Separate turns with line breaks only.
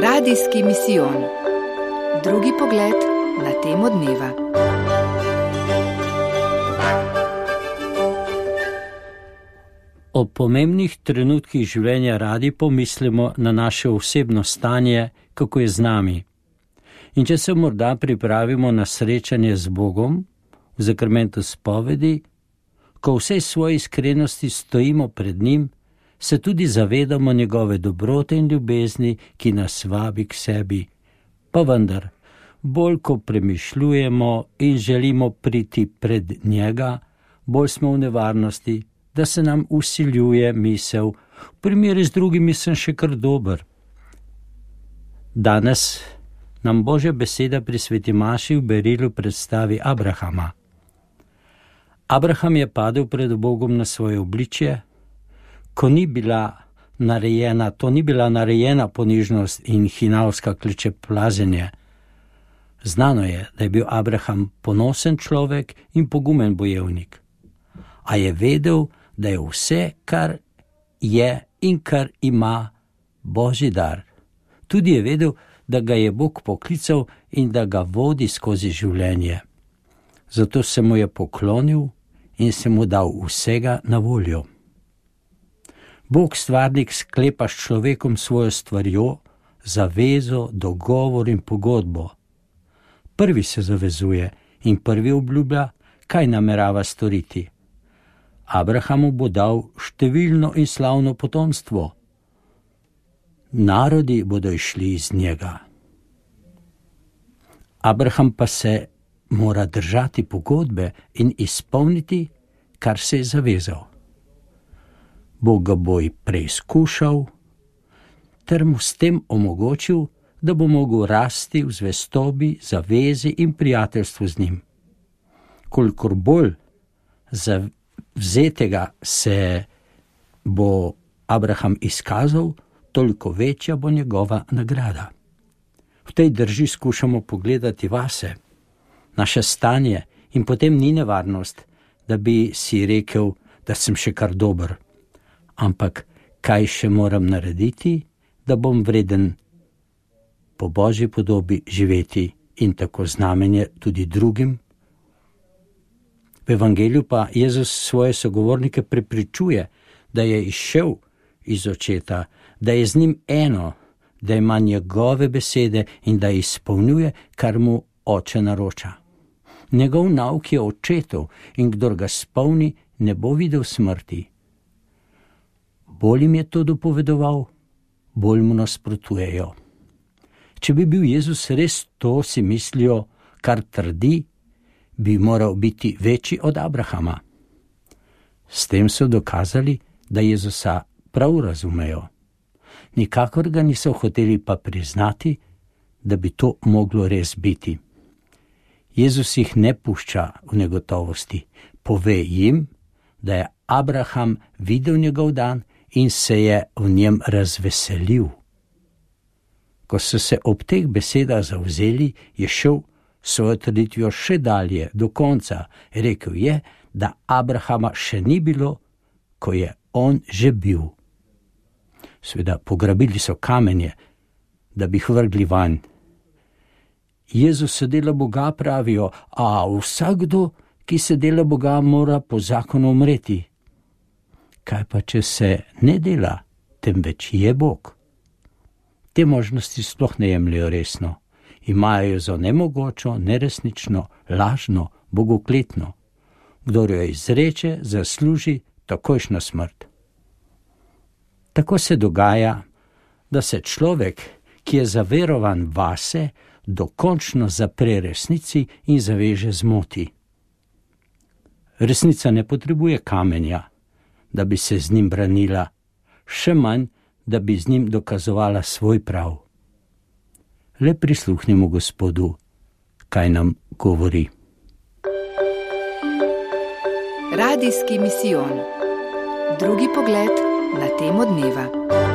Radijski misijon. Drugi pogled na temo dneva.
O pomembnih trenutkih življenja radi pomislimo na naše osebno stanje, kako je z nami. In če se morda pripravimo na srečanje z Bogom, v zakramentu spovedi, ko v vsej svoji iskrenosti stojimo pred njim, se tudi zavedamo njegove dobrote in ljubezni, ki nas vabi k sebi. Pa vendar, bolj ko premišljujemo in želimo priti pred njega, bolj smo v nevarnosti, da se nam vsiljuje misel, v primeru z drugimi sem še kar dober. Danes nam Božja beseda pri sveti maši v berilu predstavi Abrahama. Abraham je padel pred Bogom na svoje obličje, ko ni bila narejena ponižnost in hinavska klečeplazenje. Znano je, da je bil Abraham ponosen človek in pogumen bojevnik. A je vedel, da je vse, kar je in kar ima, Božji dar. Tudi je vedel, da ga je Bog poklical in da ga vodi skozi življenje. Zato se mu je poklonil in se mu dal vsega na voljo. Bog stvarnik sklepa s človekom svojo stvarjo, zavezo, dogovor in pogodbo. Prvi se zavezuje in prvi obljublja, kaj namerava storiti. Abrahamu bo dal številno in slavno potomstvo. Narodi bodo išli iz njega. Abraham pa se mora držati pogodbe in izpolniti, kar se je zavezal. Bog ga bo preizkušal, ter mu s tem omogočil, da bo mogel rasti v zvestobi, zavezi in prijateljstvu z njim. Kolikor bolj zavzetega se bo Abraham izkazal, toliko večja bo njegova nagrada. V tej drži skušamo pogledati vase, naše stanje, in potem ni nevarnost, da bi si rekel, da sem še kar dober. Ampak kaj še moram narediti, da bom vreden po Božji podobi živeti in tako znamenje tudi drugim? V evangeliju pa Jezus svoje sogovornike prepričuje, da je izšel iz očeta, da je z njim eno, da ima njegove besede in da izpolnjuje, kar mu oče naroča. Njegov nauk je očetov in kdor ga spolni, ne bo videl smrti. Bolj jim je to dopovedoval, bolj mu nasprotujejo. Če bi bil Jezus res to, si mislijo, kar trdi, bi moral biti večji od Abrahama. S tem so dokazali, da Jezusa prav razumejo. Nikakor ga niso hoteli pa priznati, da bi to moglo res biti. Jezus jih ne pušča v negotovosti. Pove jim, da je Abraham videl njegov dan in se je v njem razveselil. Ko so se ob teh besedah zavzeli, je šel svojo trditvijo še dalje, do konca. Rekel je, da Abrahama še ni bilo, ko je on že bil. Seveda, pograbili so kamenje, da bi jih vrgli vanj. Jezus se dela Boga, pravijo, a vsakdo, ki se dela Boga, mora po zakonu umreti. Kaj pa, če se ne dela, temveč je Bog? Te možnosti sploh ne jemljajo resno. Imajo jo za nemogočo, neresnično, lažno, bogokletno. Kdor jo izreče, zasluži takojšnjo smrt. Tako se dogaja, da se človek, ki je zaverovan vase, dokončno zapre resnici in zaveže zmoti. Resnica ne potrebuje kamenja, da bi se z njim branila, še manj, da bi z njim dokazovala svoj prav. Le prisluhnimo Gospodu, kaj nam govori.
Radijski misijon. Drugi pogled na temo dneva.